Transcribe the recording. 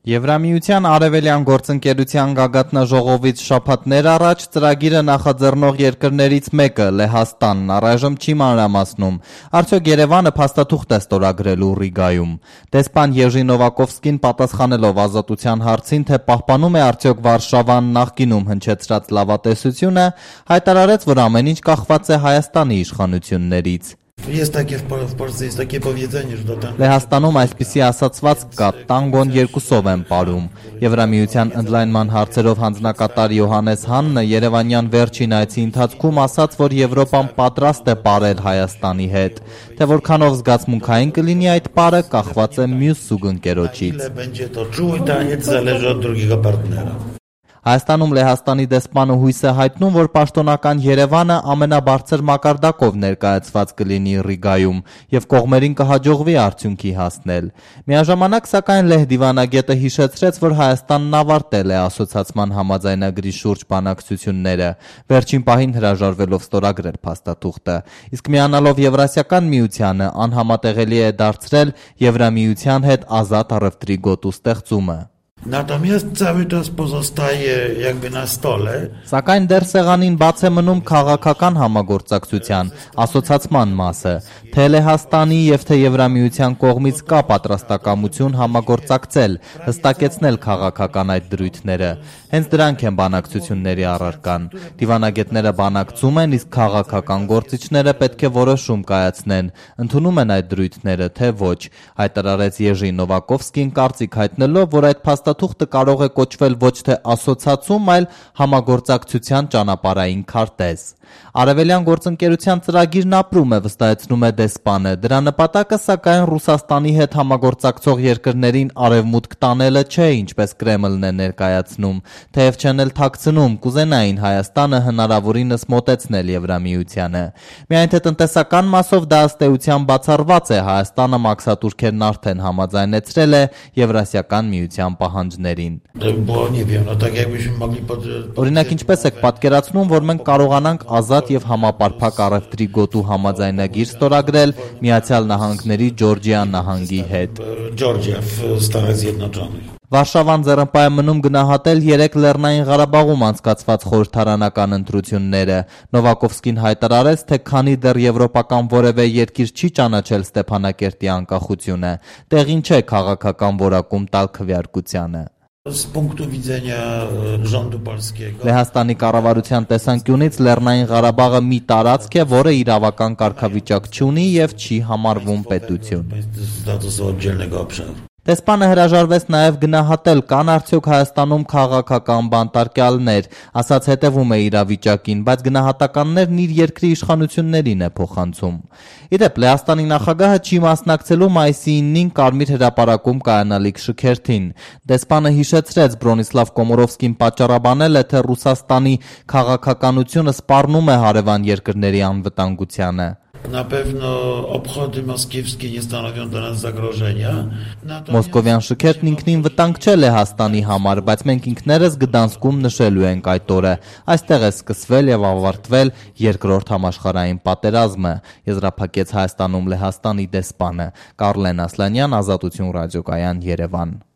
Եվրամիության Արևելյան գործընկերության գագաթնաժողովից շաբաթներ առաջ ծրագիրը նախաձեռնող երկրներից մեկը՝ Լեհաստանն առայժմ չի մանրամասնում, արդյոք Երևանը փաստաթուղթ է ստորագրելու Ռիգայում։ Դեսպան Եժի Նովակովսկին պատասխանելով Ազատության հարցին, թե պահպանում է արդյոք Վարշավան նախկինում հնչեցրած լավատեսությունը, հայտարարեց, որ ամեն ինչ կախված է Հայաստանի իշխանություններից։ Լեհաստանում այսպիսի ասացված կա՝ տանգոն երկուսով են պարում։ Եվրամիության ընդլայնման հարցերով հանձնակատար Յոհաննես Հաննը Երևանյան վերջին այցի ընթացքում ասաց, որ Եվրոպան պատրաստ է պարել Հայաստանի հետ, թե որքանով զգացմունքային կլինի այդ պարը, կախված է մյուս զուգընկերոջից։ Հայաստանում Լեհաստանի դեսպանը հույս է հայտնում, որ պաշտոնական Երևանը ամենաբարձր մակարդակով ներկայացված կլինի Ռիգայում և կողմերին կհաջողվի արդյունքի հասնել։ Միաժամանակ, սակայն, Լեհ դիվանագետը հիշեցրեց, որ Հայաստանն ավարտել է ասոցացման համաձայնագրի շուրջ բանակցությունները, վերջին պահին հրաժարվելով ստորագրել փաստաթուղթը, իսկ միանալով Եվրասիական միությանը անհամատեղելի է դարձրել Եվրամիության հետ ազատ առևտրի գոտու ստեղծումը։ Սակայն դեռ սեղանին բաց է մնում քաղաքական համագործակցության, ասոցացման մասը, թե Լեհաստանի և թե Եվրամիության կողմից կա պատրաստակամություն համագործակցել, հստակեցնել քաղաքական այդ դրույթները։ Հենց դրանք են բանակցությունների առարկան։ Դիվանագետները բանակցում են, իսկ քաղաքական գործիչները պետք է որոշում կայացնեն, ընդունում են այդ դրույթները, թե ոչ, հայտարարեց Եժի Նովակովսկին, կարծիք հայտնելով, որ այդ փաստաթուղթը կարող է կոչվել ոչ թե ասոցացում, այլ համագործակցության ճանապարհային քարտեզ։ Արևելյան գործընկերության ծրագիրն ապրում է, վստահեցնում է դեսպանը։ Դրա նպատակը, սակայն, Ռուսաստանի հետ համագործակցող երկրներին արևմուտք տանելը չէ, ինչպես Կրեմլն է ներկայացնում, թեև չեն էլ թաքցնում, կուզենային Հայաստանը հնարավորինս մոտեցնել Եվրամիությանը։ Միայն թե տնտեսական մասով դա ըստ էության բացառված է, Հայաստանը մաքսատուրքերն արդեն համաձայնեցրել է Եվրասիական միության պահանջներին։ Օրինակ, ինչպես եք պատկերացնում, որ մենք կարողանանք ազատ և համապարփակ առևտրի գոտու համաձայնագիր ստորագրել Միացյալ Նահանգների Ջորջիա նահանգի հետ։ Վարշավան ձեռնպահ է մնում գնահատել 3 Լեռնային Ղարաբաղում անցկացված խորհրդարանական ընտրությունները։ Նովակովսկին հայտարարեց, թե քանի դեռ եվրոպական որևէ երկիր չի ճանաչել Ստեփանակերտի անկախությունը, տեղին չէ քաղաքական որակում տալ քվեարկությանը։ Լեհաստանի կառավարության տեսանկյունից Լեռնային Ղարաբաղը մի տարածք է, որը իրավական կարգավիճակ չունի և չի համարվում պետություն։ Դեսպանը հրաժարվեց նաև գնահատել, կան արդյոք Հայաստանում քաղաքական բանտարկյալներ, ասաց հետևում է իրավիճակին, բայց գնահատականներն իր երկրի իշխանություններին է փոխանցում։ Իդեպ, Լեհաստանի նախագահը չի մասնակցելու մայիսի 9-ին Կարմիր հրապարակում կայանալիք շքերթին։ Դեսպանը հիշեցրեց, Բրոնիսլավ Կոմորովսկին պատճառաբանել է, թե Ռուսաստանի քաղաքականությունը սպառնում է հարևան երկրների անվտանգությանը։ Մոսկովյան շքերթն ինքնին վտանգ չէ Լեհաստանի համար, բայց մենք ինքներս Գդանսկում նշելու ենք այդ օրը։ Այստեղ է սկսվել և ավարտվել երկրորդ համաշխարհային պատերազմը, եզրափակեց Հայաստանում Լեհաստանի դեսպանը։ Կարլեն Ասլանյան, Ազատություն ռադիոկայան, Երևան։